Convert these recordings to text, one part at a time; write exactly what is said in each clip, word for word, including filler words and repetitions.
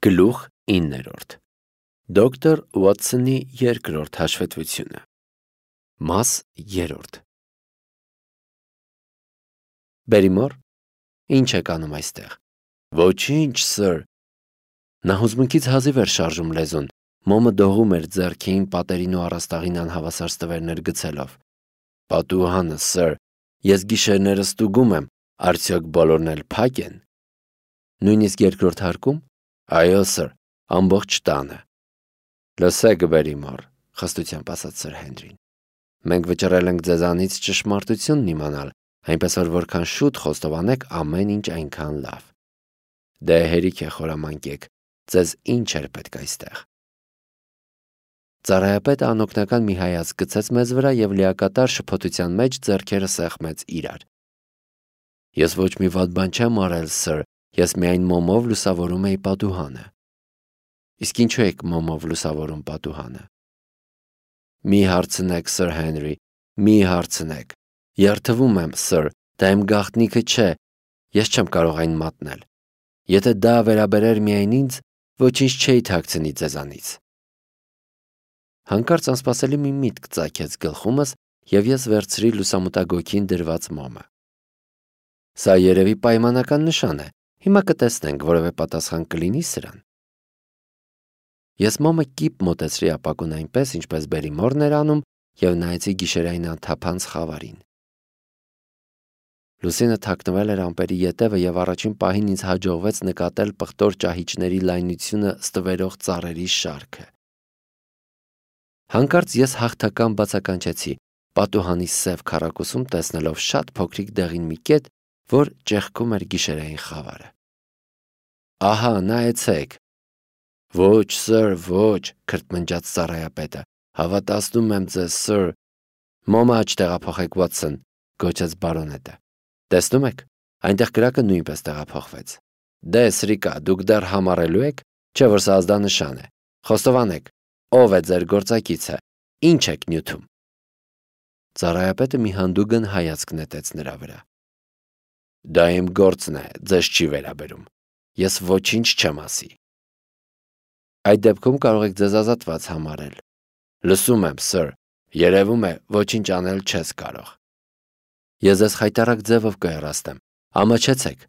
Գլուխ իններորդ Դոկտոր Ուոթսոնի երկրորդ հաշվետվությունը Մաս երրորդ Բերիմոր, ի՞նչ եք անում այստեղ։ Ոչինչ, սըր։ Նա հուզմունքից հազիվ էր շարժում լեզուն, մոմը դողում էր ձեռքին, պատերին ու առաստաղին անհավասար ստվերներ գցելով։ Պատուհանը, սըր, ես գիշերները ստուգում եմ, արդյոք բոլորն էլ փակ են։ Նույնիսկ երկրորդ հարկում։ Այո, սըր, ամբողջ տանը։ Լսեք, Բերիմոր, խստությամբ ասաց սըր Հենրին։ Մենք վճռել ենք ձեզանից ճշմարտությունն իմանալ, այնպես որ որքան շուտ խոստովանեք, ամեն ինչ այնքան լավ։ Դե հերիք է խորամանկեք, ձեզ ինչ էր պետք այստեղ։ Ծառայապետը անօգնական մի հայացք գցեց մեզ վրա և լիակատար շփոթության մեջ ձեռքերը սեղմեց իրար։ Ես ոչ մի վատ բան չեմ արել, սըր, ես միայն մոմով լուսավորում էի պատուհանը։ Իսկ ինչու եք մոմով լուսավորում պատուհանը։ Մի հարցնեք, սըր Հենրի, մի հարցնեք։ Երդվում եմ, սըր, դա իմ գաղտնիքը չէ, ես չեմ կարող այն մատնել։ Եթե դա վերաբերեր միայն ինձ, ոչինչ չէի թաքցնի ձեզանից։ Հանկարծ անսպասելի մի միտք ծագեց գլխումս, և ես վերցրի լուսամուտագոգին դրված մոմը։ Սա երևի պայմանական նշան է, հիմա կտեսնենք, որևէ պատասխան կլինի սրան։ Ես մոմը կիպ մոտեցրի ապակուն այնպես, ինչպես Բերիմորն էր անում, և նայեցի գիշերային անթափանց խավարին։ Լուսինը թաքնվել էր ամպերի ետևը, և առաջին պահին ինձ հաջողվեց նկատել պղտոր ճահիճների լայնությունը ստվերող ծառերի շարքը։ Հանկարծ ես հաղթական բացականչեցի, պատուհանի սև քառակուսում տեսնելով շատ փոքրիկ դեղին մի կետ, որ ճեղքում էր գիշերային խավարը։ Ահա, նայեցեք։ Ոչ, սըր, ոչ, քրթմնջաց ծառայապետը, հավատացնում եմ ձեզ, սըր։ Մոմը աջ տեղափոխեք, Ուոթսոն, գոչեց բարոնետը։ Տեսնում եք, այնտեղ կրակը նույնպես տեղափոխվեց։ Դե, սրիկա, դուք դեռ համառելու եք, չէ՞ որ սա ազդանշան է։ Խոստովանեք, ով է ձեր գործակիցը, ինչ եք նյութում։ Ծառայապետը մի հանդուգն հայացք նետեց նրա վրա։ Դա իմ գործն է, ձեզ չի վերաբերում։ Ես ոչինչ չեմ ասի։ Այդ դեպքում կարող եք ձեզ ազատված համարել։ Լսում եմ, սըր, երևում է, ոչինչ անել չես կարող։ Ես ձեզ խայտառակ ձևով կհեռաստեմ, ամաչեցեք։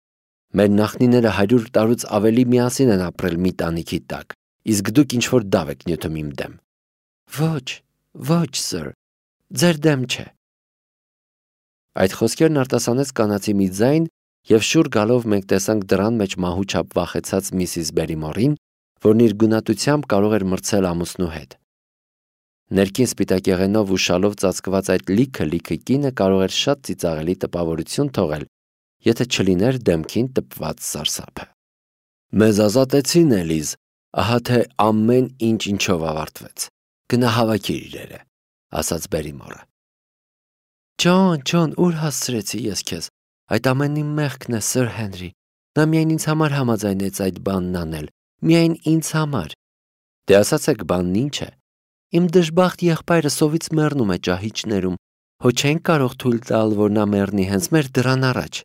Մեր նախնիները հարյուր տարուց ավելի միասին են ապրել մի տանիքի տակ, իսկ դուք ինչ-որ դավ եք նյութում իմ դեմ։ Ոչ, ոչ, սըր, ձեր դեմ չէ։ Այդ խոսքերն արտասանեց կանացի մի ձայն, և շուռ գալով մենք տեսանք դռան մեջ մահու չափ վախեցած միսիս Բերիմորին, որն իր գունատությամբ կարող էր մրցել ամուսնու հետ։ Ներքին սպիտակեղենով ու շալով ծածկված այդ լիքը-լիքը կինը կարող էր շատ ծիծաղելի տպավորություն թողել, եթե չլիներ դեմքին տպված սարսափը։ Մեզ ազատեցին, Էլիզ, ահա թե ամեն ինչ ինչով ավարտվեց։ Գնա հավաքիր իրերը, ասաց Բերիմորը։ Ջոն, Ջոն, ուր հասցրեցի ես քեզ։ Այդ ամենի մեղքն է, սըր Հենրի։ Նա միայն ինձ համար համաձայնեց այդ բանն անել, միայն ինձ համար։ Դե ասացեք բանն ինչ է։ Իմ դժբախտ եղբայրը սովից մեռնում է ճահիճներում, հո չենք կարող թույլ տալ, որ նա մեռնի հենց մեր դռան առաջ։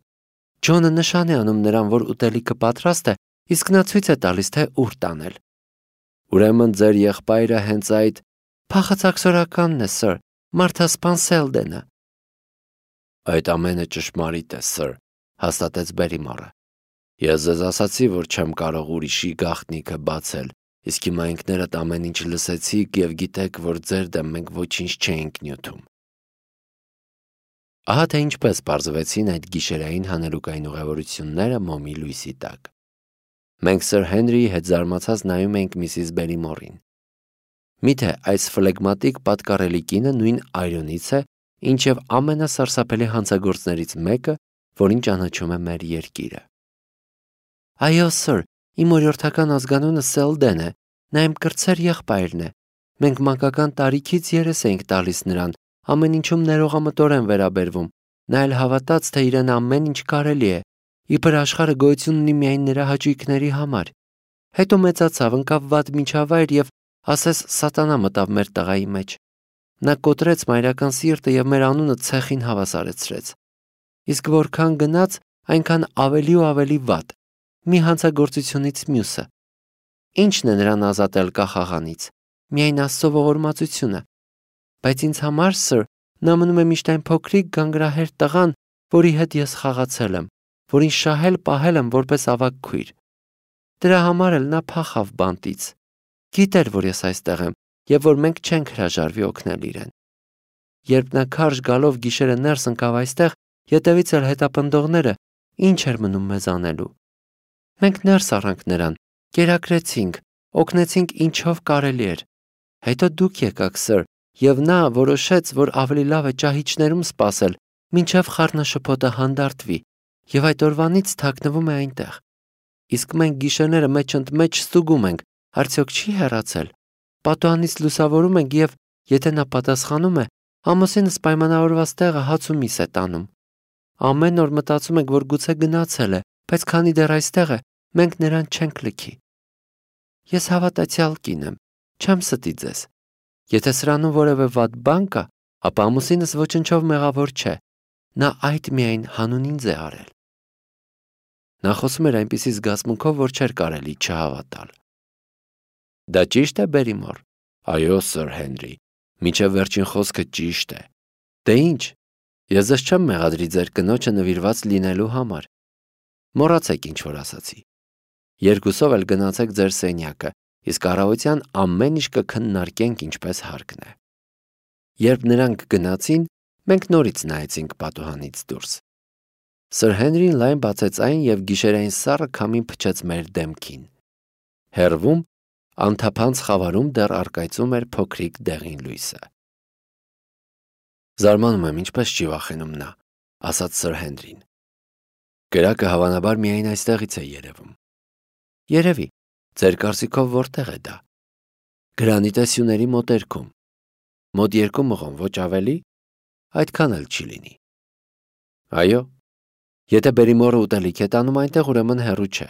Ջոնը նշան է անում նրան, որ ուտելիքը պատրաստ է, իսկ նա ցույց է տալիս, թե ուր տանել։ Ուրեմն ձեր եղբայրը հենց այդ փախածակսորականն է, սըր, Մարթա Սպանսելդենը։ Այդ ամենը ճշմարիտ է, սըր, հաստատեց Բերիմորը։ Ես ձեզ ասացի, որ չեմ կարող ուրիշի գաղտնիքը բացել, իսկ հիմա ինքներդ ամեն ինչ լսեցիք և գիտեք, որ ձեր դեմ մենք ոչինչ չէինք նյութում։ Ահա թե ինչպես պարզվեցին այդ գիշերային հանելուկային ուղևորությունները մոմի լույսի տակ։ Մենք սըր Հենրիի հետ զարմացած նայում էինք միսիս Բերիմորին։ Միթե այս ֆլեգմատիկ պատկառելի կինը նույն այրոնից է, ինչև ամենասարսափելի հանցագործներից մեկը, որին ճանաչում է մեր երկիրը։ Այո, սըր, իմ օրիորդական ազգանունը Սելդեն է, նա իմ կրտսեր եղբայրն է։ Մենք մանկական տարիքից երես էինք տալիս նրան, ամեն ինչում ներողամտորեն վերաբերվում, նա էլ հավատաց, թե իրեն ամեն ինչ կարելի է, իբր աշխարհը գոյություն ունի միայն նրա հաճույքների համար։ Հետո մեծացավ, ընկավ վատ միջավայր և ասես սատանա մտավ մեր տղայի մեջ։ Նա կոտրեց մայրական սիրտը և մեր անունը ցեխին հավասարեցրեց։ Իսկ որքան գնաց, այնքան ավելի ու ավելի վատ, մի հանցագործությունից մյուսը։ Ի՞նչն է նրան ազատել կախաղանից։ Միայն Աստծո ողորմածությունը։ Բայց ինձ համար, սըր, նա մնում է միշտ այն փոքրիկ գանգրահեր տղան, որի հետ ես խաղացել եմ, որին շահել պահել եմ որպես ավագ քույր։ Դրա համար էլ նա փախավ բանտից։ Գիտեր, որ ես այստեղ եմ եւ որ մենք չենք հրաժարվի օգնել իրեն։ Երբ նա քարշ գալով գիշերը ներս ընկավ այստեղ, ետևից էլ հետապնդողները, ինչ էր մնում մեզ անելու։ Մենք ներս առանք նրան, կերակրեցինք, օգնեցինք ինչով կարելի էր։ Հետո դուք եկաք, սըր, եւ նա որոշեց, որ ավելի լավ է ճահիճներում սպասել, մինչև խառնաշփոթը հանդարտվի, եւ այդ օրվանից թաքնվում է այնտեղ։ Իսկ մենք գիշերները մեջ ընդ մեջ ստուգում ենք, արդյոք չի հեռացել։ Պատուհանից լուսավորում ենք եւ, եթե նա պատասխանում է, ամուսինս պայմանավորված տեղը հաց ու միս է տանում։ Ամեն օր մտածում ենք, որ գուցե գնացել է, բայց քանի դեռ այստեղ է, մենք նրան չենք լքի։ Ես հավատացյալ կին եմ, չեմ ստի ձեզ։ Եթե սրանում որևէ վատ բան կա, ապա ամուսինս ոչնչով մեղավոր չէ։ Նա այդ միայն հանուն ինձ է արել։ Նա խոսում էր այնպիսի զգացմունքով, որ չէր կարելի չհավատալ։ Դա ճիշտ է, Բերիմոր։ Այո, սըր Հենրի, մինչև վերջին խոսքը ճիշտ է։ Դե ինչ, ես ձեզ չեմ մեղադրի ձեր կնոջը նվիրված լինելու համար։ Մոռացեք ինչ որ ասացի։ Երկուսով էլ գնացեք ձեր սենյակը, իսկ առավոտյան ամեն ինչ կքննարկենք ինչպես հարկն է։ Երբ նրանք գնացին, մենք նորից նայեցինք պատուհանից դուրս։ Սըր Հենրին լայն բացեց այն եւ գիշերային սառը քամին փչեց մեր դեմքին։ Հեռվում, անթափանց խավարում դեռ առկայծում էր փոքրիկ դեղին լույսը։ Զարմանում եմ, ինչպես չի վախենում նա, ասաց սըր Հենրին։ Կրակը հավանաբար միայն այստեղից է երևում։ Երևի, ձեր կարծիքով որտեղ է դա։ Գրանիտե սյուների մոտերքում։ Մոտ երկու մղոն, ոչ ավելի, այդքան էլ չի լինի։ Այո, եթե Բերիմորը ուտելիք է տանում այնտեղ, ուրեմն հեռու չէ,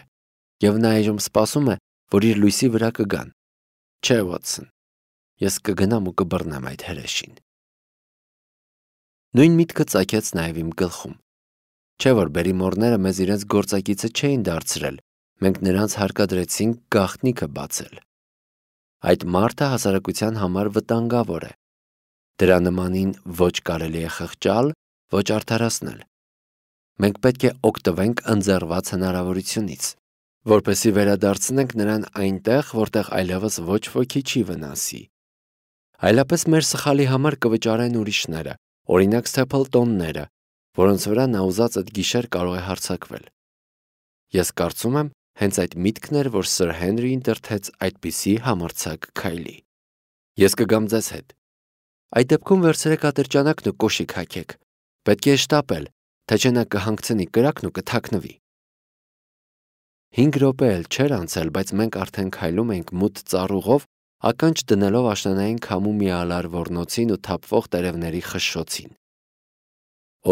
եւ նա այժմ սպասում է, որ իր լույսի վրա կգան։ Չէ, Վոթսոն, ես կգնամ ու կբռնեմ այդ հրեշին։ Նույն միտքը ծագեց նաեւ իմ գլխում։ Չէ որ Բերիմորները մեզ իրենց գործակիցը չէին դարձրել, մենք նրանց հարկադրեցինք գաղտնիքը բացել։ Այդ մարդը հասարակության համար վտանգավոր է։ Դրա նմանին ոչ կարելի է խղճալ, ոչ արդարացնել։ Մենք պետք է օգտվենք ընձեռված հնարավորությունից, որպեսզի վերադարձնենք նրան այնտեղ, որտեղ այլևս ոչ ոքի չի վնասի։ Այլապես մեր սխալի համար կվճարեն ուրիշները, օրինակ Սթեփլտոնները, որոնց վրա նա ուզած այդ գիշեր կարող է հարձակվել։ Ես կարծում եմ, հենց այդ միտքն էր, որ սըր Հենրին դրդեց այդպիսի համարձակ քայլի։ Ես կգամ ձեզ հետ։ Այդ դեպքում վերցրեք ատրճանակն ու կոշիկ հագեք։ Պետք է շտապել, թե չէ նա կհանգցնի կրակն ու կթաքնվի։ Հինգ րոպե էլ չէր անցել, բայց մենք արդեն քայլում էինք մութ ծառուղով, ականջ դնելով աշնանային քամու միալար ոռնոցին ու թափվող տերևների խշշոցին։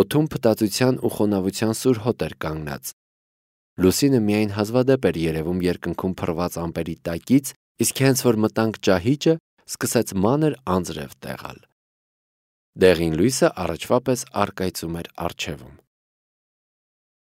Օդում փտածության ու խոնավության սուր հոտ էր կանգնած։ Լուսինը միայն հազվադեպ էր երևում երկնքում փռված ամպերի տակից, իսկ հենց որ մտանք ճահիճը, սկսեց մանր անձրև տեղալ։ Դեղին լույսը առաջվա պես առկայծում էր առջևում։